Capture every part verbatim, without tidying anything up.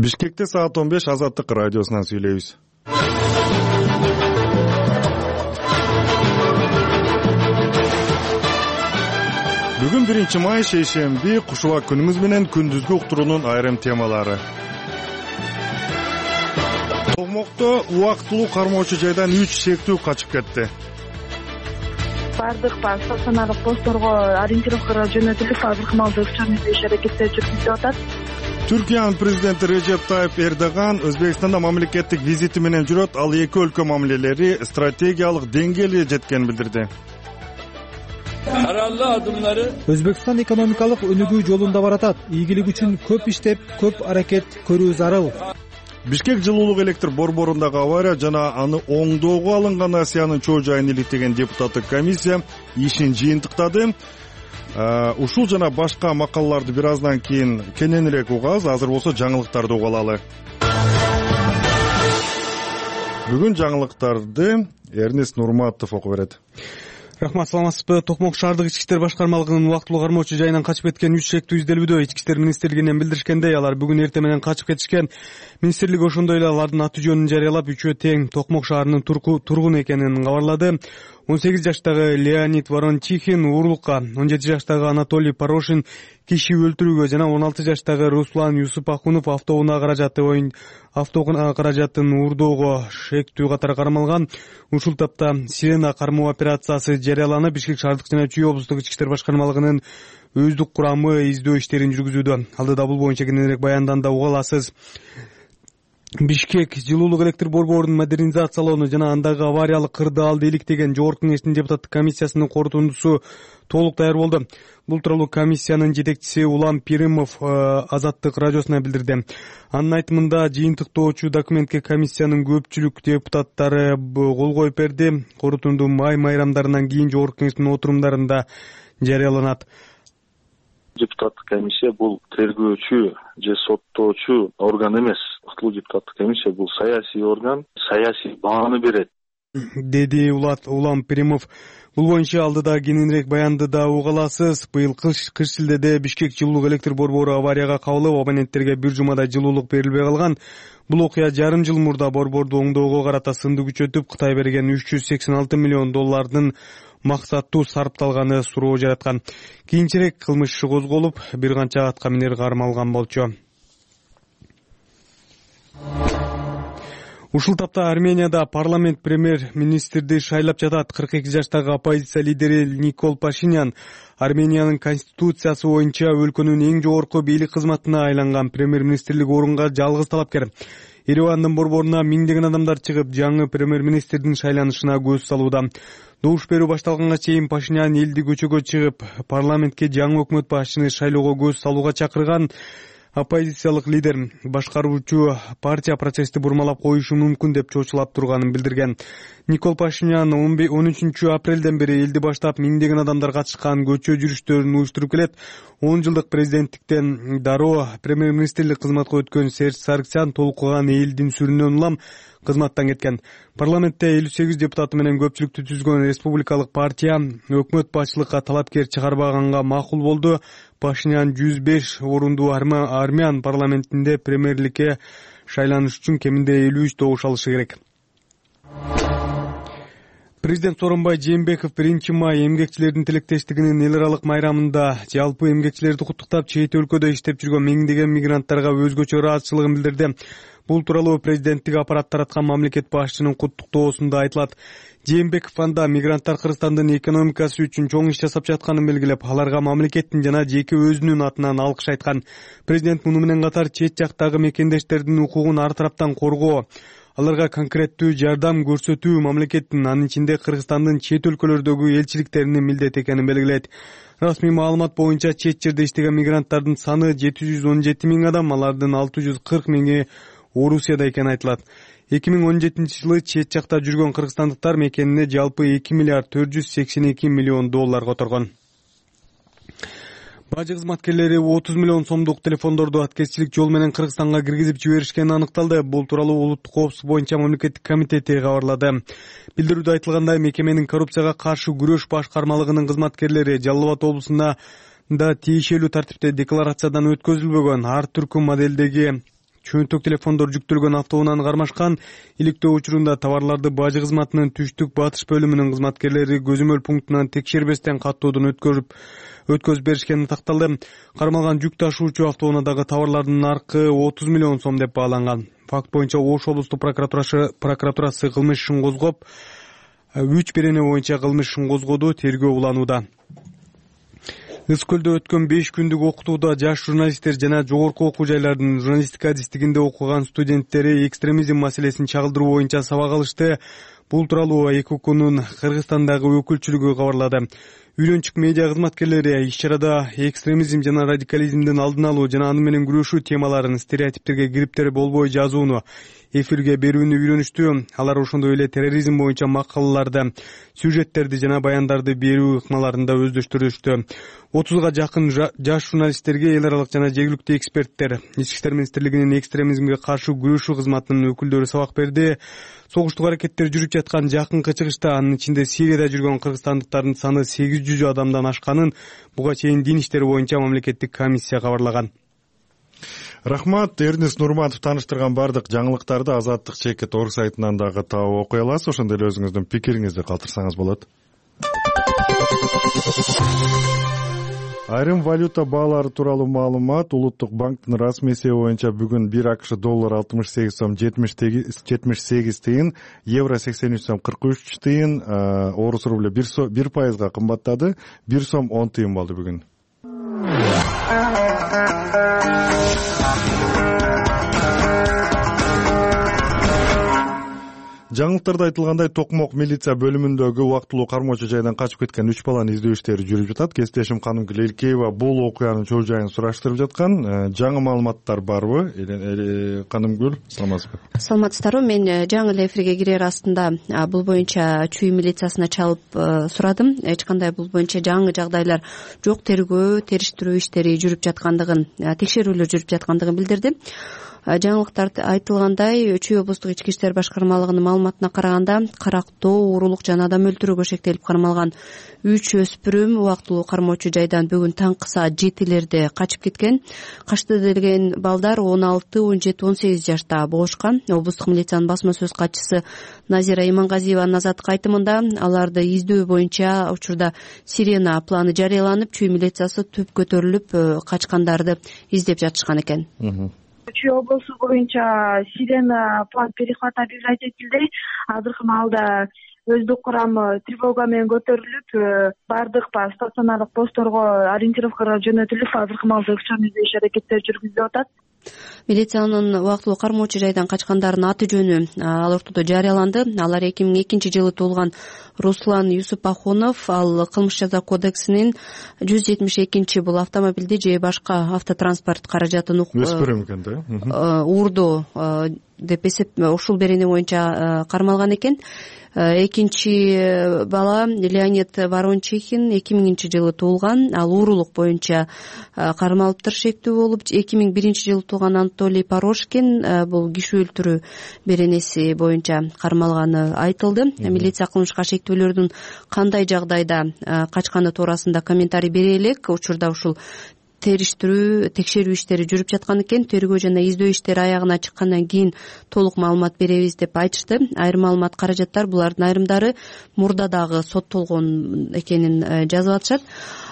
Бишкекте саат он беш Азаттык радиосунан сүйлөйбүз. Бүгүн биринчи май шейшемби, кушула күнүңүз менен күндүзгү уктуруунун айрым темалары. Токмокто убактылуу кармоочу жайдан үч шектүү качып кетти. Бардык стационардык постторго ориентировкага жөнөтүлүп, азыркы маалда өкчөм издеш аракеттери жүргүзүлүп атат. Түркиянын президенти Режеп Тайып Эрдоган Өзбекстанда мамлекеттик визити менен жүрөт. Ал эки өлкө мамилелери стратегиялык деңгээлге жеткенин билдирди. Өзбекстан экономикалык өнүгүү жолунда баратат. Ийгилик үчүн көп иштеп, көп аракет көрүү зарыл. Бишкек жылуулук электр борборундагы авария жана аны оңдоого алынган Асиянын чоо жайын иликтеген депутаттык комиссия ишин жыйынтыктады. Ушул жана башка макалаларды бир аздан кийин кененирээк угабыз. Азыр болсо жаңылыктарды уга алалы. Бүгүн жаңылыктарды Эрнест Нурматов окуп берет. Рахмат, саламатсызбы? Токмок шаардык ички иштер башкармалыгынын убактылуу кармоочу жайынан качып кеткен үч шектүү изделүүдө. Ички иштер министрлигинен билдиришкендей, алар бүгүн эртең менен качып кетишкен. Министрлик ошондой эле алардын аты жөнүн жарыялап, үчөө тең Токмок шаарынын тургуну экенин кабарлады. он сегиз жаштагы Леонид Ворончихин уурулукка, он жети жаштагы Анатолий Порошин киши өлтүрүүгө жана он алты жаштагы Руслан Юсупахунов автоунаа каражаты оюн автоунаа каражатын уурдоого шектүү катары кармалган. Ушул тапта Сирена кармоо операциясы жарыяланып, Бишкек шаардык жана Чүй облустук ички иштер башкармалыгынын өздүк курамы издөө иштерин жүргүзүүдө. Алдыда бул боюнча кененирээк баянданда уга аласыз. Бишкек жылуулук электр борборунун модернизациялоону жана андагы авариялык кырдаалды иликтеген жогорку кеңештин депутаттык комиссиясынын корутундусу толук даяр болду. Бул тууралуу комиссиянын жетекчиси Улам Пиримов Азаттык радиосуна билдирди. Анын айтымында, жыйынтыктоочу документке комиссиянын көпчүлүк депутаттары кол коюп берди. Корутунду май майрамдарынан кийин жогорку кеңештин отурумдарында жарыяланат. Депутаттык комиссия бул тергөөчү же соттоочу орган эмес. Уктулуу депутаттык комиссия бул саясий орган, саясий бааны берет, деди Улат Улам Пиримов. Бул боюнча алдыда кененирээк баянды да уга аласыз. Быйыл кыш шилдеде Бишкек жылуулук электр борбору аварияга кабылып, абоненттерге бир жумада жылуулук берилбей калган. Бул окуя жарым жыл мурда борборду оңдоого карата сынды күчөтүп, Кытай берген үч жүз сексен алты миллион доллардын максаттуу сарпталганы суроо жараткан. Кийинчерээк кылмыш иши козголуп, бир канча атка минер кармалган болчу. Ушул тапта Арменияда парламент премьер-министрди шайлап жатат. кырк эки жаштагы оппозиция лидери Никол Пашинян Армениянын конституциясы боюнча өлкөнүн эң жогорку бийлик кызматына айланган премьер-министрлик орунга жалгыз талапкер. Еревандын борборуна миңдеген адамдар чыгып, жаңы премьер-министрдин шайланышына көз салууда. Добуш берүү башталганга чейин Пашинян элди көчөгө чыгып, парламентке жаңы өкмөт башчыны шайлоого көз салууга чакырган. Оппозициялык лидер башкаруучу партия процессти бурмалап коюшу мүмкүн деп чочулап турганын билдирген. Никол Пашинян он үчүнчү апрелден бери элди баштап миңдеген адамдар катышкан көчө жүрүштөрүн уюштуруп келет. он жылдык президенттиктен дароо премьер-министрлик кызматка өткөн Серж Саргсян толкуган элдин сүрүнөн улам кызматтан кеткен. Парламентте элүү сегиз депутаты менен көпчүлүктү түзгөн республикалык партия өкмөт башчылыкка талапкер чыгарбаганга макул болду. Пашинян жүз беш орундуу армян парламентинде премьерликке шайланыш үчүн кеминде элүү үч добуш алышы керек. Президент Сооронбай Жээнбеков биринчи май эмгекчилердин тилектештигинин эл аралык майрамында жалпы эмгекчилерди куттуктап, чет өлкөдө иштеп жүргөн миңдеген мигранттарга өзгөчө ыраазычылыгын билдирди. Бул тууралуу президенттик аппарат тараткан мамлекет башчынын куттуктоосунда айтылат. Жээнбеков анда мигранттар Кыргызстандын экономикасы үчүн чоң иш жасап жатканын белгилеп, аларга мамлекеттин жана жеке өзүнүн атынан алкыш айткан. Президент муну менен катар чет жактагы мекендештердин укугун ар тараптан коргоо, аларга конкреттүү жардам көрсөтүү мамлекеттин, анын ичинде Кыргызстандын чет өлкөлөрдөгү элчиликтеринин милдети экенин белгилейт. Расмий маалымат боюнча чет жерде иштеген мигранттардын саны жети жүз он жети миң адам, алардын алты жүз кырк миңи Орусияда экени айтылат. эки миң он жетинчи жылы чет жакта жүргөн кыргызстандыктар мекенине жалпы эки миллиард төрт жүз сексен эки миллион доллар которгон. Бажы кызматкерлери отуз миллион сомдук телефондорду аткезчилик жол менен Кыргызстанга киргизип жиберишкени аныкталды. Бул тууралуу улуттук коопсуздук боюнча мамлекеттик комитети кабарлады. Билдирүүдө айтылгандай, мекеменин коррупцияга каршы күрөш башкармалыгынын кызматкерлери Жалал Абад облусунда да тиешелүү тартипте декларациядан өткөзүлбөгөн ар түркү моделдеги чөнтөк телефондор жүктөлгөн автоунааны кармашкан. Иликтөө учурунда товарларды бажы кызматынын түштүк батыш бөлүмүнүн кызматкерлери көзөмөл пунктунан текшербестен каттоодон өткөрүп өткөзүп беришкени такталды. Кармалган жүк ташуучу автоунаадагы товарлардын наркы отуз миллион сом деп бааланган. Факт боюнча Ош облустук прокуратурасы прокуратурасы кылмыш ишин козгоп, үч берене боюнча кылмыш ишин козгоду, тергөө уланууда. Ыс көлдө өткөн беш күндүк окутууда жаш журналисттер жана жогорку окуу жайлардын журналистика адистигинде окуган студенттери экстремизм маселесин чагылдыруу боюнча сабак алышты. Бул тууралуу ЭКОКунун Кыргызстандагы өкүлчүлүгү кабарлады. Үйлөнчүк медиа кызматкерлери иш-чарада экстремизм жана радикализмдин алдын алуу жана аны менен күрөшүү темаларын стереотиптерге кириптер болбой жазууну, эфирге берүүнү үйрөнүштү. Алар ошондой эле терроризм боюнча макалаларды, сюжеттерди жана баяндарды берүү ыкмаларын да өздөштүрүштү. отузга жакын жаш журналисттерге эл аралык жана жергиликтүү эксперттер, Ички иштер министрлигинин экстремизмге каршы күрөшүү кызматынын өкүлдөрү сабак берди. Согуштук аракеттер жүрүп жаткан жакынкы чыгышта, анын ичинде Сирияда жүргөн кыргызстандыктардын саны сегиз жүз адамдан ашканын буга чейин дин иштери боюнча мамлекеттик комиссия кабарлаган. Рахмат. Эрнест Нурматов тааныштырган бардык жаңылыктарды Азаттык чекит орг сайтынан дагы таап окуй аласыз. Ошондой эле өзүңүздүн пикириңизди калтырсаңыз болот. Айрым валюта баалары тууралуу маалымат. Улуттук банктын расмий эсеби боюнча бүгүн бир АКШ доллар алтымыш сегиз сом жетимиш сегиз тыйын, евро сексен үч сом кырк үч тыйын, орус рубль бир пайызга кымбаттады, бир сом он тыйын болду бүгүн. Жаңылыктарда айтылгандай, Токмок милиция бөлүмүндөгү убактылуу кармоочу жайдан качып кеткен үч баланы издөө иштери жүрүп жатат. Кесиптешим Канымгүл Элкеева бул окуянын чоо жайын сураштырып жаткан. Жаңы маалыматтар барбы? Канымгүл, саламатсызбы? Саламатсыздарбы? Мен жаңы эле эфирге кирер астында бул боюнча Чүй милициясына чалып сурадым. Эч кандай бул боюнча жаңы жагдайлар жок, тергөө, териштирүү иштери жүрүп жаткандыгын, текшерүүлөр жүрүп жаткандыгын билдирди. Жаңылыктарда айтылгандай, Чүй облустук ички иштер башкармалыгынын маалыматына караганда, карактоо, уурулук жана адам өлтүрүүгө шектелип кармалган үч өспүрүм убактылуу кармоочу жайдан бүгүн таңкы саат жетилерде качып кеткен. Качты деген балдар он алты, он жети, он сегиз жашта болушкан. Облустук милициянын басма сөз катчысы Назира Имангазиеванын Азаттыкка айтымында аларды издөө боюнча учурда сирена планы жарыяланып, Чүй милициясы түп көтөрүлүп качкандарды издеп жатышкан экен. Чүй облусу боюнча сирена план перехвата объявлять этилди. Азыркы маалда өздүк курамы тревога менен көтөрүлүп, бардык стационардык постторго ориентировкага жөнөтүлүп, азыркы маалда өкчөн издөө иш аракеттери жүргүзүлүп атат. Милициянын убактылуу кармоочу жайдан качкандардын аты жөнү ал ортодо жарыяланды. Алар эки миң экинчи жылы туулган Руслан Юсупахунов, ал кылмыш жаза кодексинин жүз жетимиш экинчи бул автомобилди же башка автотранспорт каражатын өспүрүм экен да, уурду деп эсеп ушул берене боюнча кармалган экен. Экинчи бала Леонид Ворончихин эки миңинчи жылы туулган, ал уурулук боюнча кармалыптыр шектүү болуп. эки миң биринчи жылы туулган Анатолий Порошкин бул киши өлтүрүү беренеси боюнча кармалганы айтылды. Милиция кылмышка шектүүлөрдүн кандай жагдайда качканы туурасында комментарий бере элек. Учурда ушул териштирүү, текшерүү иштери жүрүп жаткан экен. Тергөө жана издөө иштери аягына чыккандан кийин толук маалымат беребиз деп айтышты. Айрым маалымат каражаттар, булардын айрымдары мурда дагы соттолгон экенин жазып атышат.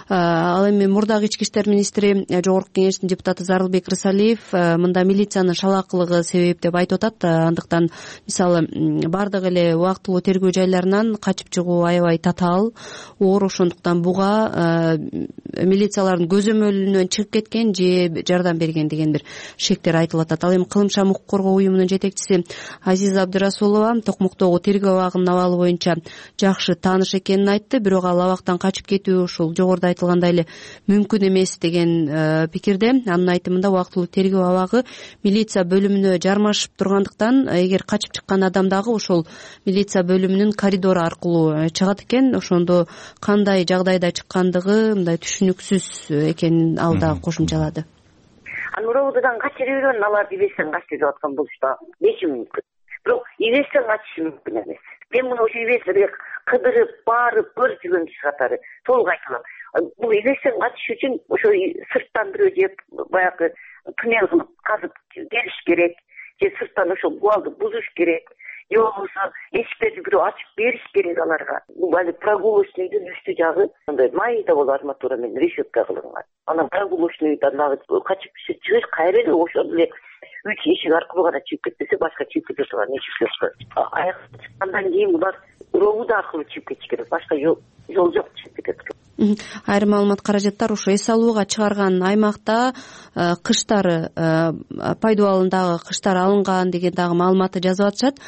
Ал эми мурдагы ички иштер министри, жогорку кеңештин депутаты Зарылбек Рысалиев мында милициянын шалаакылыгы себеп деп айтып атат. Андыктан мисалы бардык эле убактылуу тергөө жайларынан качып чыгуу аябай татаал, оор, ошондуктан буга милициялардын көзөмөлүнөн чыгып кеткен же жардам берген деген бир шектер айтылып атат. Ал эми Кылмыш укук коргоо уюмунун жетекчиси Азиза Абдырасулова Токмоктогу тергөө абагынын абалы боюнча жакшы тааныш экенин айтты, бирок ал абактан качып кетүү ушул жогоруда айтылгандай эле мүмкүн эмес деген пикирде. Анын айтымында убактылуу тергөө абагы милиция бөлүмүнө жармашып тургандыктан, эгер качып чыккан адам дагы ошол милиция бөлүмүнүн коридору аркылуу чыгат экен. Ошондо кандай жагдайда чыккандыгы мындай түшүнүксүз экенин ал да кошумчалады. Ануровдудан качып жүргөн, аларды ибестен качып жүрүп аткан болушта кечи мүмкүн. Бирок ибестен качышы мүмкүн эмес. Мен муну ошо ибестерге кыдырып, барып, көрүп жүргөн киши катары толук айтылам. Бул ибестен качыш үчүн ошо сырттан бирөө жеп, баягы туннел кылып казып келиш керек же сырттан ошол кубалды бузуш керек же болбосо эшиктерди бирөө ачып бериш керек аларга. Бул али прогулочныйдын үстү жагы мындай майда болуп арматура менен решетка кылынган. Анан прогулочныйдан дагы качып чыгыш кайра эле ошол эле үч эшик аркылуу гана чыгып кетпесе башка чыгып кете турган эшик жок. Аяк чыккандан кийин булар ровуда аркылуу чыгып кетиш керек, башка жол жок чыгып кетет. Айрым маалымат каражаттар ошо эс алууга чыгарган аймакта кыштары пайдуу абалындагы кыштар алынган деген дагы маалыматты жазып атышат.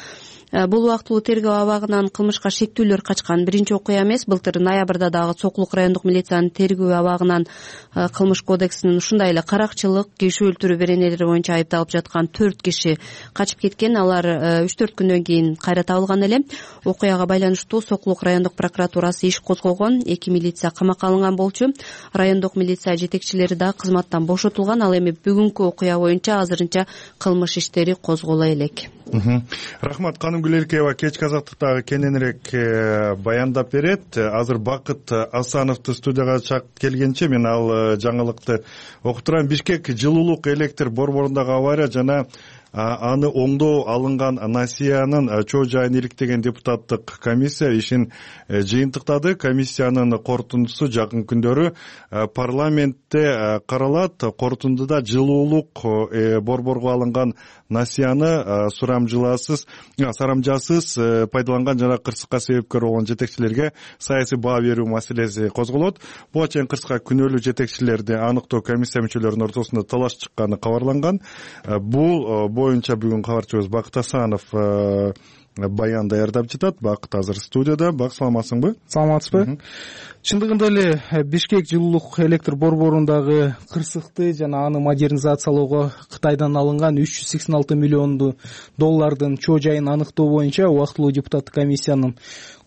Бул убактылуу тергөө абагынан кылмышка шектүүлөр качкан биринчи окуя эмес. Былтыр ноябрда дагы Сокулук райондук милициянын тергөө абагынан кылмыш кодексинин ушундай эле каракчылык, киши өлтүрүү беренелери боюнча айыпталып жаткан төрт киши качып кеткен. Алар үч төрт күндөн кийин кайра табылган эле. Окуяга байланыштуу Сокулук райондук прокуратурасы иш козгогон. Эки милиция камакка алынган болчу. Райондук милиция жетекчилери да кызматтан бошотулган. Ал эми бүгүнкү окуя боюнча азырынча кылмыш иштери козголо элек. Рахмат. Каным Гүлеркеева кечки азаттыктагы кененирээк баяндап берет. Азыр Бакыт Асановду студияга чакырып келгенче мен ал жаңылыкты окуп турам. Бишкек жылуулук электр борборундагы авария жана аны оңдоо алынган насиянын чоо жайын иликтеген депутаттык комиссия ишин жыйынтыктады. Комиссиянын корутундусу жакын күндөрү парламентте каралат. Корутундуда жылуулук борборго алынган насияны сурамжыласыз, сарамжасыз пайдаланган жана кырсыкка себепкер болгон жетекчилерге саясий баа берүү маселеси козголот. Буга чейин кырсыкка күнөөлүү жетекчилерди аныктоо комиссия мүчөлөрүнүн ортосунда талаш чыкканы кабарланган. Бул боюнча бүгүн кабарчыбыз Бакыт Асанов баян даярдап жатат. Бакыт азыр студияда. Бак, саламатсыңбы? Саламатсызбы? Чындыгында эле Бишкек жылуулук электр борборундагы кырсыкты жана аны модернизациялоого Кытайдан алынган үч жүз сексен алты миллион доллардын чоо жайын аныктоо боюнча убактылуу депутаттык комиссиянын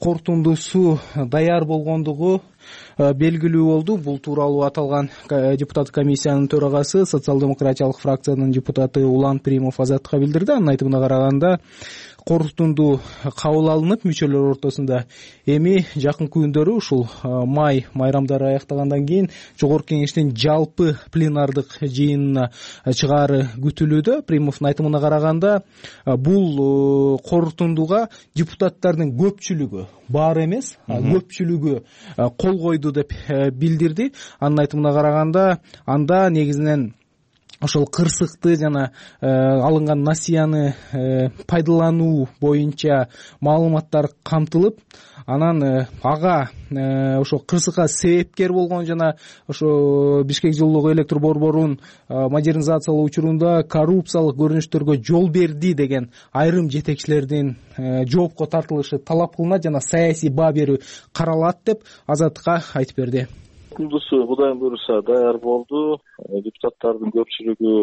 корутундусу даяр болгондугу белгилүү болду. Бул тууралуу аталган депутаттык комиссиянын төрагасы социал-демократиялык фракциянын депутаты Улан Примов Азаттыкка билдирди. Анын айтымына караганда корутунду кабыл алынып, мүчөлөр ортосунда эми жакын күндөрү ушул май майрамдары аяктагандан кийин жогорку кеңештин жалпы пленардык жыйынына чыгаары күтүлүүдө. Примовдун айтымына караганда бул корутундуга депутаттардын көпчүлүгү, баары эмес, көпчүлүгү кол койду деп билдирди. Анын айтымына караганда анда негизинен ошол кырсыкты жана алынган насияны пайдалануу боюнча маалыматтар камтылып, анан ага ошо кырсыкка себепкер болгон жана ошо Бишкек жылуулук электр борборун модернизациялоо учурунда коррупциялык көрүнүштөргө жол берди деген айрым жетекчилердин жоопко тартылышы талап кылынат жана саясий баа берүү каралат деп Азаттыкка айтып берди. Курулуусу Кудайым буйруса даяр болду. Депутаттардын көпчүлүгү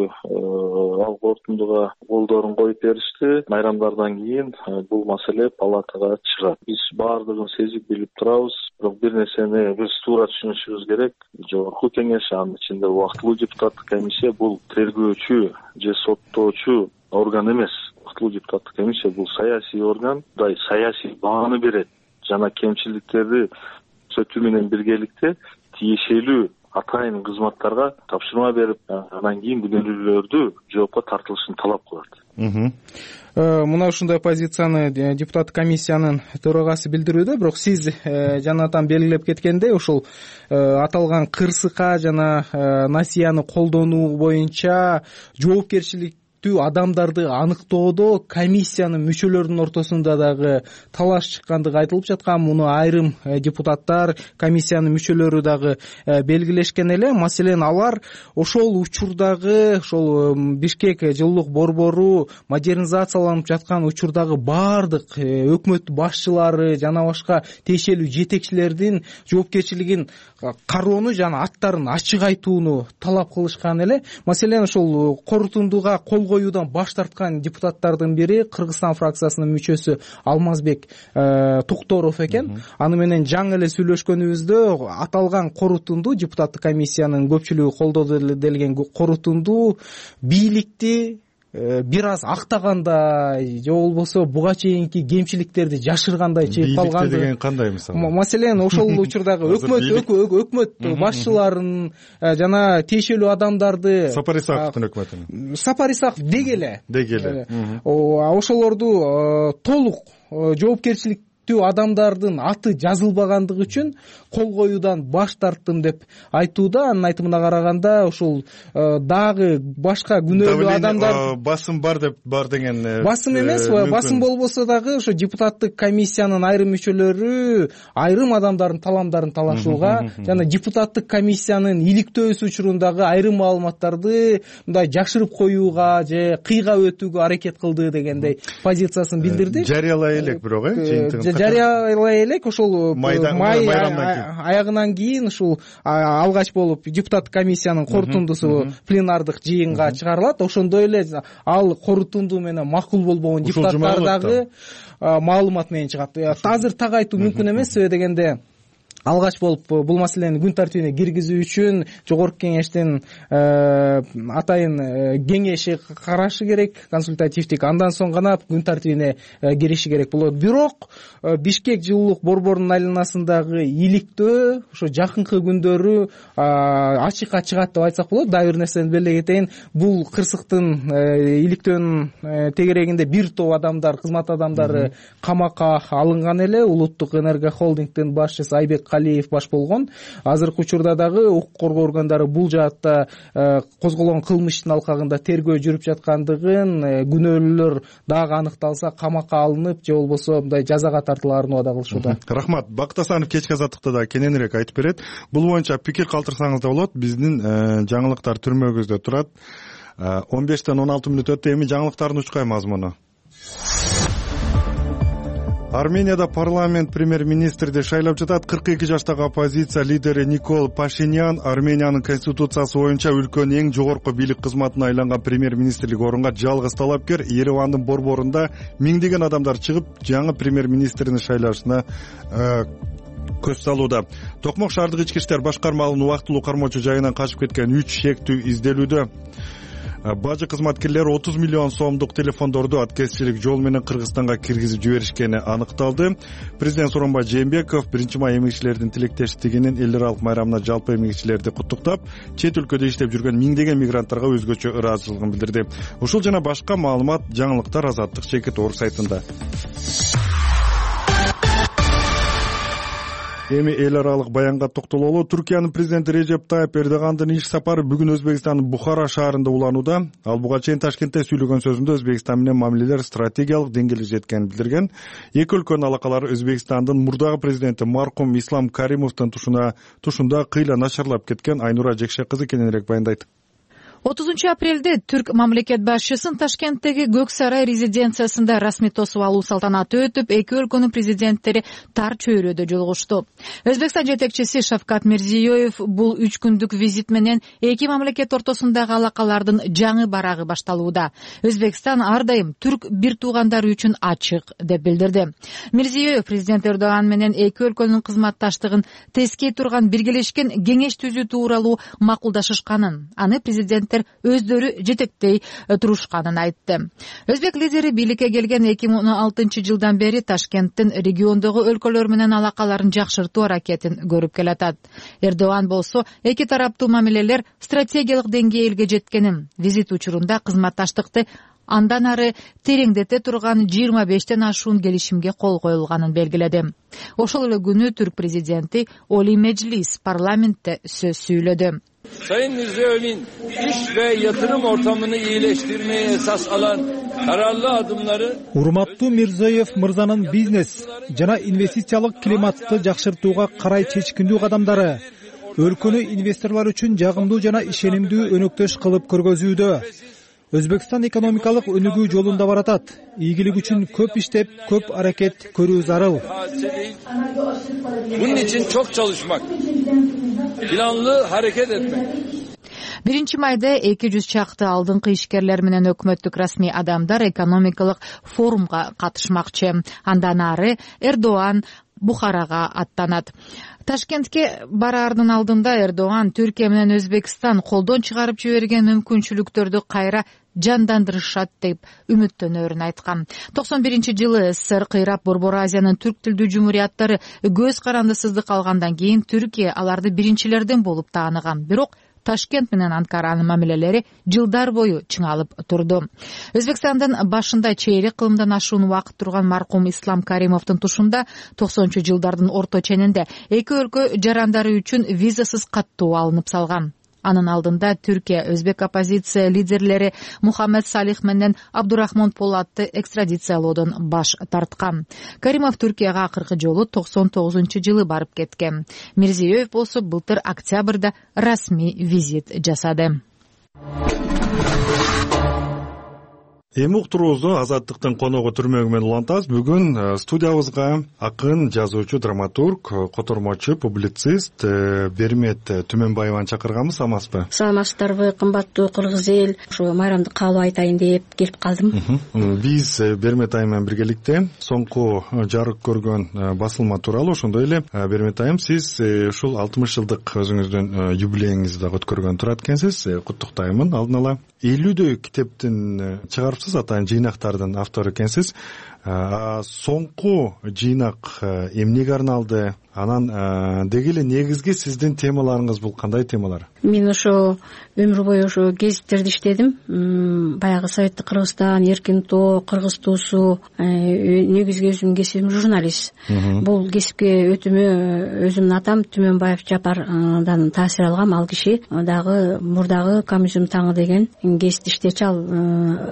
ал корутундуга колдорун коюп беришти. Майрамдардан кийин бул маселе палатага чыгат. Биз баардыгын сезип билип турабыз. Бирок бир нерсени биз туура түшүнүшүбүз керек. Жогорку кеңеш, анын ичинде убактылуу депутаттык комиссия бул тергөөчү же соттоочу орган эмес. Убактылуу депутаттык комиссия бул саясий орган, дай саясий бааны берет жана кемчиликтерди түзөтүү менен биргеликте тиешелүү атайын кызматтарга тапшырма берип, андан кийин күнөөлүүлөрдү жоопко тартылышын талап кылат. Мына ушундай позицияны депутаттык комиссиянын төрагасы билдирүүдө. Бирок сиз жанатан белгилеп кеткендей, ушул аталган кырсыкка жана насияны колдонуу боюнча жоопкерчилик адамдарды аныктоодо комиссиянын мүчөлөрүнүн ортосунда дагы талаш чыккандыгы айтылып жаткан. Муну айрым депутаттар, комиссиянын мүчөлөрү дагы белгилешкен эле. Маселен, алар ошол учурдагы ошол Бишкек жылуулук борбору модернизацияланып жаткан учурдагы баардык өкмөт башчылары жана башка тиешелүү жетекчилердин жоопкерчилигин кароону жана аттарын ачык айтууну талап кылышкан эле. Маселен, ошол корутундуга кол коюудан баш тарткан депутаттардын бири Кыргызстан фракциясынын мүчөсү Алмазбек Тукторов экен. Аны менен жаңы эле сүйлөшкөнүбүздө аталган корутунду, депутаттык комиссиянын көпчүлүгү колдоду делген корутунду бийликти бир аз актагандай же болбосо буга чейинки кемчиликтерди жашыргандай чейип калган деген кандай мисалы? Маселен ошол учурдагы өкмөт өкмөт башчыларын жана тиешелүү адамдарды Сапар Исаковдун өкмөтүн Сапар Исаков деги эле деги эле ошолорду толук жоопкерчиликтүү адамдардын аты жазылбагандыгы үчүн кол коюудан баш тарттым деп айтууда. Анын айтымына караганда ушул дагы башка күнөөлүү адамдар басым бар деп бар деген басым эмес, басым болбосо дагы ошо депутаттык комиссиянын айрым мүчөлөрү айрым адамдардын таламдарын талашууга жана депутаттык комиссиянын иликтөөсү учурундагы айрым маалыматтарды мындай жашырып коюуга же кыйга өтүүгө аракет кылды дегендей позициясын билдирди. Жарыялай элек бирок э жарыялай элек ошол май аягынан кийин ушул алгач болуп депутаттык комиссиянын корутундусу пленардык жыйынга чыгарылат. Ошондой эле ал корутунду менен макул болбогон депутаттар дагы маалымат менен чыгат. Азыр так айтуу мүмкүн эмес, себеби дегенде алгач болуп бул маселени күн тартибине киргизүү үчүн жогорку кеңештин атайын кеңеши карашы керек, консультативдик, андан соң гана күн тартибине кириши керек болот. Бирок Бишкек жылуулук борборунун айланасындагы иликтөө ошо жакынкы күндөрү ачыкка чыгат деп айтсак болот. Дагы бир нерсени белгилей кетейин, бул кырсыктын иликтөөнүн тегерегинде бир топ адамдар, кызмат адамдары камакка алынган эле. Улуттук энерго холдингдин башчысы Айбек Калиев баш болгон. Азыркы учурда дагы укук коргоо органдары бул жаатта козголгон кылмыштын алкагында тергөө жүрүп жаткандыгын, күнөөлүүлөр дагы аныкталса камакка алынып же болбосо мындай жазага тартылаарын убада кылышууда. Рахмат. Бактасанов кечки азаттыкта да кененирээк айтып берет. Бул боюнча пикир калтырсаңыз да болот. Биздин жаңылыктар түрмөгүбүздө турат. он бештен он алты мүнөт өттү. Эми жаңылыктардын учкай мазмуну. Арменияда парламент премьер-министрди шайлап жатат. кырк эки жаштагы оппозиция лидери Никол Пашинян Армениянын конституциясы боюнча өлкөнүн эң жогорку бийлик кызматына айланган премьер-министрлик орунга жалгыз талапкер. Еревандын борборунда миңдеген адамдар чыгып, жаңы премьер-министрдин шайлашына көз салууда. Токмок шаардык ички иштер башкармалыгынын убактылуу кармоочу жайынан качып кеткен үч шектүү изделүүдө. Бажы кызматкерлери отуз миллион сомдук телефондорду аткезчилик жол менен Кыргызстанга киргизип жиберишкени аныкталды. Президент Сооронбай Жээнбеков биринчи май эмгичилердин тилектештигинин эл аралык майрамына жалпы эмгичилерди куттуктап, чет өлкөдө иштеп жүргөн миңдеген мигранттарга өзгөчө ыраазычылыгын билдирди. Ушул жана башка маалымат жаңылыктар Азаттык чекит орг сайтында. Эми эл аралык баянга токтололу. Түркиянын президенти Режеп Тайып Эрдогандын иш сапары бүгүн Өзбекстандын Бухара шаарында уланууда. Ал буга чейин Ташкентте сүйлөгөн сөзүндө Өзбекстан менен мамилелер стратегиялык деңгээлге жеткенин билдирген. Эки өлкөнүн алакалары Өзбекстандын мурдагы президенти маркум Ислам Каримовдун тушуна тушунда кыйла начарлап кеткен. Айнура Жекше кызы кененирээк баяндайт. отузунчу апрелде түрк мамлекет башчысын Ташкенттеги Көк сарай резиденциясында расмий тосуп алуу салтанаты өтүп, эки өлкөнүн президенттери тар чөйрөдө жолугушту. Өзбекстан жетекчиси Шавкат Мирзиёев бул үч күндүк визит менен эки мамлекет ортосундагы алакалардын жаңы барагы башталууда. Өзбекстан ар дайым түрк бир туугандары үчүн ачык деп билдирди. Мирзиёев президент Эрдоган менен эки өлкөнүн кызматташтыгын тескей турган биргелешкен кеңеш түзүү тууралуу макулдашышканын, аны президент өздөрү жетектей турушканын айтты. Өзбек лидери бийликке келген эки миң он алтынчы жылдан бери Ташкенттин региондогу өлкөлөр менен алакаларын жакшыртуу аракетин көрүп келатат. Эрдоган болсо эки тараптуу мамилелер стратегиялык деңгээлге жеткенин, визит учурунда кызматташтыкты андан ары тереңдете турган жыйырма бештен ашуун келишимге кол коюлганын белгиледи. Ошол эле күнү түрк президенти Олий Мejlis парламентте сөз сүйлөдү. Sayın Mirziyoyev'in iş ve yatırım ortamını iyileştirmeye esas alan kararlı adımları Урматтуу Мирзиёев мырзанын бизнес жана инвестициялык климатты жакшыртууга карай чечкиндүү кадамдары өлкөнү инвесторлор үчүн жагымдуу жана ишенимдүү өнөктөш кылып көргөзүүдө. Өзбекстан экономикалык өнүгүү жолунда баратат. Ийгилик үчүн көп иштеп, көп аракет көрүү зарыл. Bunun için çok çalışmak, planlı hareket etmek. биринчи майда эки жүз чакты алдыңкы ишкерлер менен өкмөттүк расмий адамдар экономикалык форумга катышмакчы. Андан ары Эрдоган Бухарага аттанат. Ташкентке бараардын алдында Эрдоган Түркия менен Өзбекстан колдон чыгарып жиберген мүмкүнчүлүктөрдү кайра жандандырышат деп үмүттөнөрүн айткан. токсон биринчи жылы СССР кыйрап Борбор Азиянын түрк тилдүү жумурияттары көз карандысыздык алгандан кийин Түркия аларды биринчилерден болуп тааныган. Бирок Ташкент менен Анкаранын мамилелери жылдар бою чыңалып турду. Өзбекстандын башында чейрек кылымдан ашуун убакыт турган маркум Ислам Каримовдун тушунда токсонунчу жылдардын орто ченинде эки өлкө жарандары үчүн визасыз каттоо алынып салган. Анын алдында Түркия өзбек оппозиция лидерлери Мухаммед Салих менен Абдурахмон Полатты экстрадициялоодон баш тарткан. Каримов Түркияга акыркы жолу токсон тогузунчу жылы барып кеткен. Мирзиёев болсо былтыр октябрда расмий визит жасады. Эми уктуруубузду Азаттыктын коногу түрмөгү менен улантабыз. Бүгүн студиябызга акын, жазуучу, драматург, котормочу, публицист Бермет Түмөнбаеваны чакырганбыз. Саламатсызбы? Саламатсыздарбы, кымбаттуу кыргыз эл. Ошо майрамдык каалоо айтайын деп келип калдым. Биз Бермет айым менен биргеликте соңку жарык көргөн басылма тууралуу, ошондой эле Бермет айым, сиз ушул алтымыш жылдык өзүңүздүн юбилейиңизди дагы өткөргөн турат экенсиз. Куттуктаймын алдын ала. элүүдөй китептин чыгарыпсыз, атайын жыйнактардын автору экенсиз. Соңку жыйнак эмнеге арналды? Анан деги эле негизги сиздин темаларыңыз бул кандай темалар? Мен ошо өмүр бою ошо гезиттерде иштедим. Баягы Советтик Кыргызстан, Эркин Тоо, Кыргыз туусу. Негизги өзүмдүн кесибим журналист. Бул кесипке өтүмө өзүмдүн атам Түмөнбаев Жапардан таасир алгам. Ал киши дагы мурдагы Коммунизм таңы деген гезитти иштечи. Ал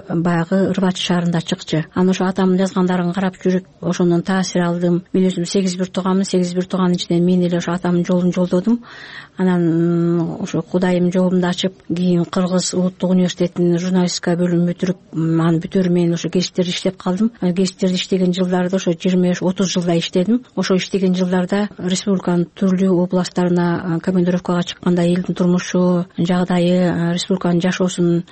баягы Ырбачы шаарында чыкчу. Анан ошо атамдын жазгандарын карап жүрүп, ошондон таасир алдым. Мен өзүм сегиз бир тууганмын. сегиз бир тууганын ичинен мен эле ошо атамдын жолун жолдодум. Анан ошо Кудайым жолумду ачып, кийин Кыргыз улуттук университетинин журналистика бөлүмүн бүтүрүп, аны бүтөөр менен ошо гезиттерде иштеп калдым. Гезиттерде иштеген жылдарда ошо жыйырма беш отуз жылдай иштедим. Ошо иштеген жылдарда республиканын түрлүү областтарына командировкага чыкканда элдин турмушу, жагдайы, республиканын жашоосун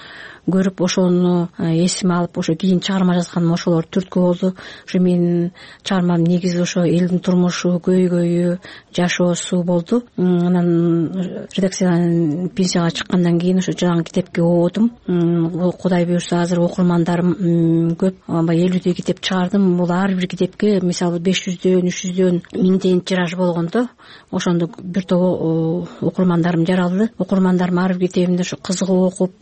көрүп, ошону эсиме алып, ошо кийин чыгарма жазганым ошолор түрткү болду. Ошо менин чыгармам негизи ошо элдин турмушу, көйгөйү, жашоосу болду. Анан редакциядан пенсияга чыккандан кийин ошо жаңы китепке оодум. Кудай буюрса азыр окурмандарым көп. элүүдөй китеп чыгардым. Бул ар бир китепке мисалы беш жүздөн, үч жүздөн, миңден тираж болгондо ошондо бир топ окурмандарым жаралды. Окурмандарым ар бир китебимди ошо кызыгып окуп,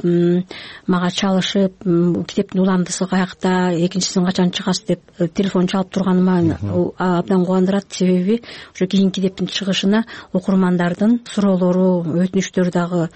мага чалышып, китептин уламдысы каякта, экинчисин качан чыгасыз деп телефон чалып турганыма абдан кубандырат. Себеби ошо кийинки китептин чыгышына окурмандардын суроолору, өтүнүчтөрү дагы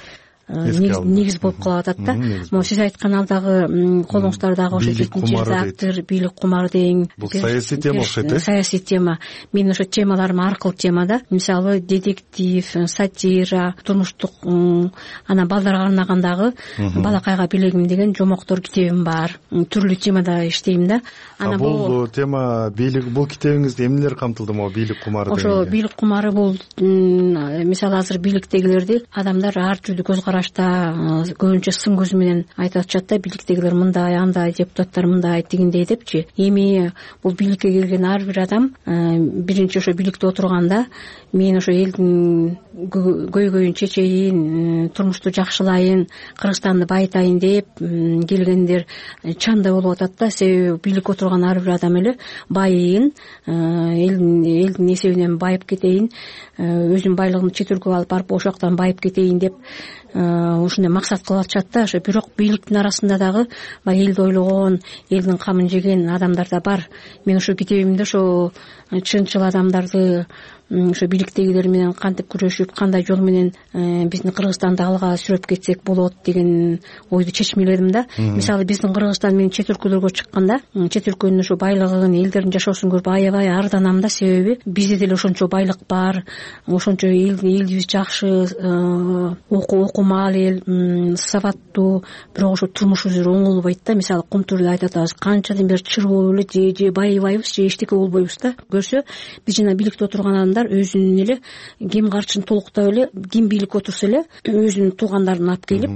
негиз болуп калып атат да. Могу сиз айткан алдагы колуңуздардагы ошо жетинчи редактор, бийлик кумар дең. Бул саясий тема окшойт э? Саясий тема. Мен ошо темаларым ар кыл темада. Мисалы детектив, сатира, турмуштук, анан балдарга арнагандагы Балакайга билегим деген жомоктор китебим бар. Түрлүү темада иштейм да. Анан бул тема бийлик, бул китебиңизде эмнелер камтылды могу бийлик кумары деген? Ошо бийлик кумары бул мисалы азыр бийликтегилерди адамдар ар түрдүү көз карашта, көбүнчө сын көзү менен айтып атышат да, бийликтегилер мындай, андай, депутаттар мындай, тигиндей депчи. Эми бул бийликке келген ар бир адам биринчи ошо бийликте отурганда мен ошо элдин көйгөйүн чечейин, турмушту жакшылайын, Кыргызстанды байытайын деп келгендер чанда болуп атат да. Себеби бийликке отурган ар бир адам эле байыйын, элдин элдин эсебинен байып кетейин, өзүнүн байлыгын чет өлкөгө алып барып ошол жактан байып кетейин деп ушундай максат кылып атышат да. Ошо бирок бийликтин арасында дагы баягы элди ойлогон, элдин камын жеген адамдар да бар. Мен ошо китебимде ошо чынчыл адамдарды, ошо бийликтегилер менен кантип күрөшүп, кандай жол менен биздин Кыргызстанды алга сүрөп кетсек болот деген ойду чечмеледим да. Мисалы биздин Кыргызстан мен чет өлкөлөргө чыкканда, чет өлкөнүн ошо байлыгын, элдердин жашоосун көрүп аябай арданам да. Себеби бизде деле ошончо байлык бар, ошончо элибиз жакшы, окумал эл, сабаттуу, бирок ошо турмушубуз оңолбойт да. Мисалы Кумтурда айтып атабыз, канчадан бери чыр болуп эле же же байыбайбыз, же эчтеке болбойбуз да. Көрсө биз жана бийликте отурган адамдар өзүнүн эле ким карчын толуктап эле, ким бийликке отурса эле өзүнүн туугандарын алып келип,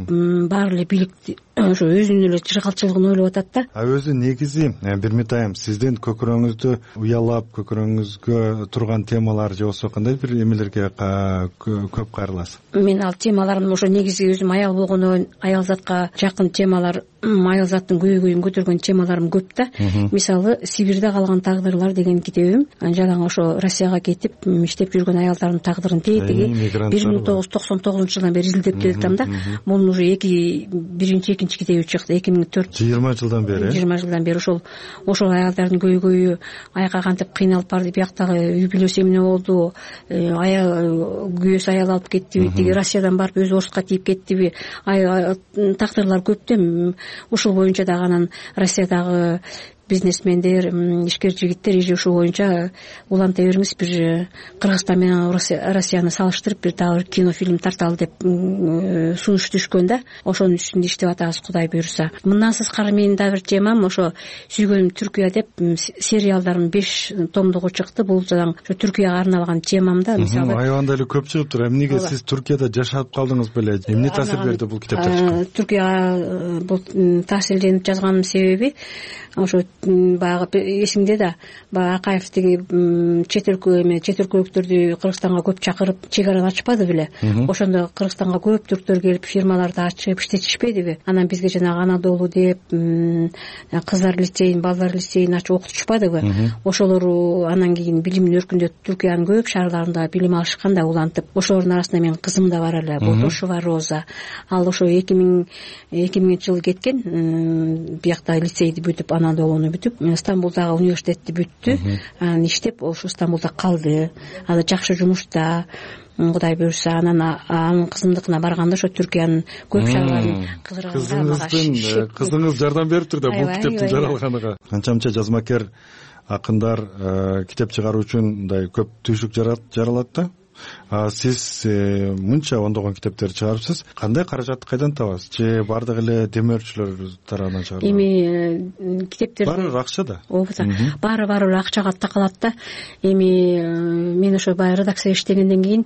баары эле бийликти ошо өзүнүн эле жыргалчылыгын ойлоп атат да. А өзү негизи Бермет айым, сиздин көкүрөгүңүздү уялап, көкүрөгүңүзгө турган темалар же болбосо кандай бир эмелерге көп кайрыласыз? Мен ал темаларым ошо негизи өзүм аял болгондон аял затка жакын темалар айыл заттын көйгөйүн көтөргөн темаларым көп да. Мисалы Сибирде калган тагдырлар деген китебим жалаң ошо Россияга кетип иштеп жүргөн аялдардын тагдырын тетиги бир миң тогуз жүз токсон тогузунчу жылдан бери изилдеп келатам да. Мунун уже эки биринчи экинчи китеби чыкты эки миң төрт жыйырма жылдан бери жыйырма жылдан бери ошол ошол аялдардын көйгөйү аяка кантип кыйналып барды, бияктагы үй бүлөсү эмне болду, аял күйөөсү аял алып кеттиби, тиги Россиядан барып өзү орусска тийип кеттиби, тагдырлар көп да. Ушул боюнча дагы анан Россиядагы бизнесмендер, ишкер жигиттер эже ушул боюнча уланта бериңиз, бир Кыргызстан менен Россияны салыштырып бир дагы бир кинофильм тарталы деп сунуш түшкөн да. Ошонун үстүндө иштеп атабыз, Кудай буйруса. Мындан сырткары менин дагы бир темам ошо сүйгөнүм Түркия деп сериалдарым беш томдугу чыкты. Бул жалаң ошо Түркияга арналган темам да. Мисалы аябандай эле көп чыгыптыр. Эмнеге сиз Түркияда жашап калдыңыз беле? Эмне таасир берди бул китептер чыккан? Түркияга бул таасирленип жазганымдын себеби ошо баягы эсиңде да, баягы Акаев тиги чет өлкө эме чет өлкөлүктөрдү Кыргызстанга көп чакырып чек араны ачпады беле? Ошондо Кыргызстанга көп түрктөр келип фирмаларды ачып иштетишпедиби? Анан бизге жанагы Анадолу деп кыздар лицейин, балдар лицейин ачып окутушпадыбы? Ошолор анан кийин билимин өркүндөтүп Түркиянын көп шаарларында билим алышкан да улантып. Ошолордун арасында менин кызым да бар эле, Болтошева Роза. Ал ошо эки миң экимиңинчи жылы кеткен, биякта лицейди бүтүп, Анадолуну бүтүп, Стамбулдагы университетти бүттү. Анан иштеп ошо Стамбулда калды. Аны жакшы жумушта, Кудай буйруса. Анан анын кызымдыкына барганда ошо Түркиянын көп шаарларын кызырганда кызыңыздын кызыңыз жардам бериптир да бул китептин жаралганыга. Канча-канча жазмакер акындар китеп чыгаруу үчүн мындай көп түйшүк жаралат да. Сиз мынча ондогон китептер чыгарыпсыз. Кандай каражатты кайдан табасыз? Же бардык эле демөөрчүлөр тарабынан чыгарылат? Эми китептер баары акча да. Ооба, баары баары акчага такалат да. Эми мен ошо баягы редакцияда иштегенден кийин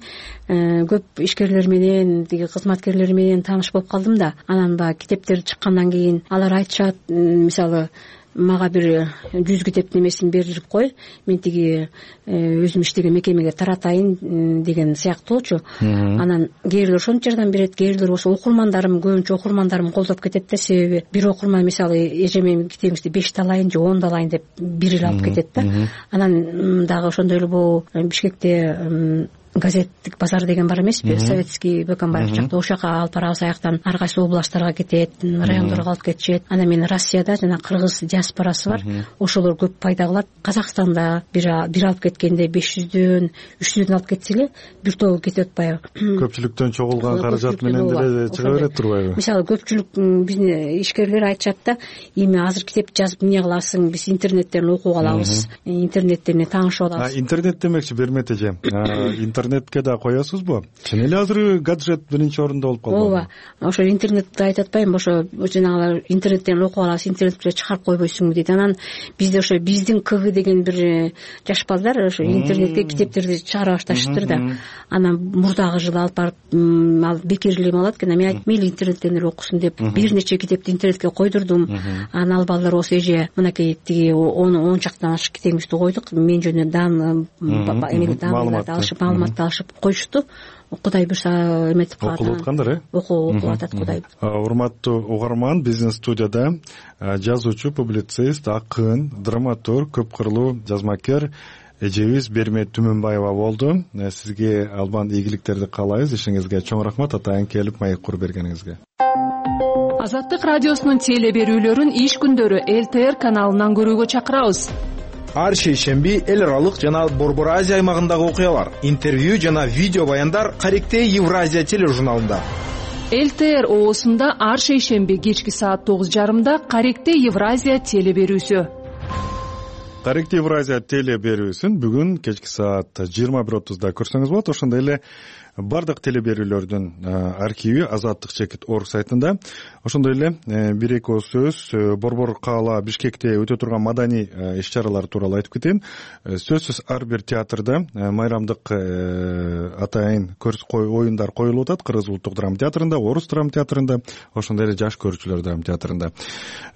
көп ишкерлер менен, тиги кызматкерлер менен тааныш болуп калдым да. Анан баягы китептер чыккандан кийин алар айтышат, мисалы мага бир жүз китептин эмесин берип кой, мен тиги өзүм иштеген мекемеге таратайын деген сыяктуучу. Анан кээрлер ошончо жардам берет, кээрлер болсо окурмандарым, көбүнчө окурмандарым колдоп кетет да. Себеби бир окурман мисалы эже менин китебиңизди бешти алайын же онду алайын деп бир эле алып кетет да. Анан дагы ошондой эле бул Бишкекте газеттик базар деген бар эмеспи? Советский Бөкөнбаев жакта, ошол жака алып барабыз. Аяктан ар кайсы областтарга кетет, райондорго алып кетишет. Анан мен Россияда жана кыргыз диаспорасы бар, ошолор көп пайда кылат. Казакстанда бир бир алып кеткенде беш жүздөн үч жүздөн алып кетсе эле бир тобу кетип атпайбы? Көпчүлүктөн чогулган каражат менен деле чыга берет турбайбы? Мисалы көпчүлүк биздин ишкерлер айтышат да, эми азыр китеп жазып эмне кыласың, биз интернеттен окуп алабыз, интернеттен таанышып алабыз. Интернет демекчи Бермет эже, интернетке да коесузбу? Чын эле азыр гаджет биринчи орунда болуп калды. Ооба, ошо интернетти айтып атпайбы, ошо жанагы интернеттен окуп алабыз, интернетке чыгарып койбойсуңбу дейт. Анан бизде ошо биздин КГ деген бир жаш балдар ошо интернетке китептерди чыгара башташыптыр да. Анан мурдагы жылы алып барып ал бекерли эме алат экен. Мен айттым, мейли интернеттен эле окусун деп бир нече китепти интернетке койдурдум. Анан ал балдар болсо эже мынакей тиги он чактан ашык китебиңизди койдук, мен жөнүндө дан эме данларды алышып, маалыматты алышып коюшту. Кудай буйруса эметип калат. Окулуп аткандар, э? Окуп атат, Кудай. Урматтуу угарман, биздин студияда жазуучу, публицист, акын, драматург, көп кырлуу жазмакер эжебиз Бермет Түмөнбаева болду. Сизге албан ийгиликтерди каалайбыз. Ишиңизге чоң рахмат, атайын келип маек куруп бергениңизге. Азаттык радиосунун теле берүүлөрүн иш күндөрү эл тэ эр каналынан көрүүгө чакырабыз. Ар шейшемби эл аралык жана Борбор Азия аймагындагы окуялар, интервью жана видео баяндар Каректей Евразия тележурналында. эл тэ эр оосунда ар шейшемби кечки саат тогуз жарымда Каректей Евразия теле берүүсү. Каректей Евразия теле берүүсүн бүгүн кечки саат жыйырма бир отузда көрсөңүз болот. Ошондой эле бардык теле берүүлөрдүн архиви Азаттык чекит точка орг сайтында. Ошондой эле бир эки ооз сөз Борбор каала Бишкекте өтө турган маданий иш-чаралар тууралуу айтып кетейин. Сөзсүз ар бир театрда майрамдык атайын оюндар коюлуп атат. Кыргыз улуттук драма театрында, Орус драма театрында, ошондой эле жаш көрүүчүлөр драма театрында.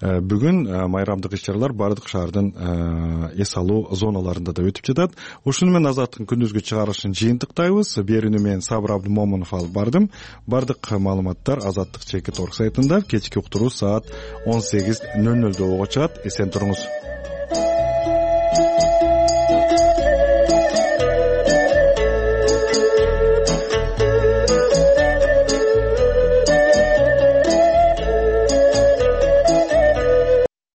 Бүгүн майрамдык иш-чаралар бардык шаардын эс алуу зоналарында да өтүп жатат. Ушуну менен Азаттыктын күндүзгү чыгарылышын жыйынтыктайбыз. Берүүнү мен Сабыр Абдымомунов алып бардым. Бардык маалыматтар Азаттык чекит орг сайтында кечки уктуруу саат он сегиз ноль нолдо болго чыгат. Эсен туруңуз.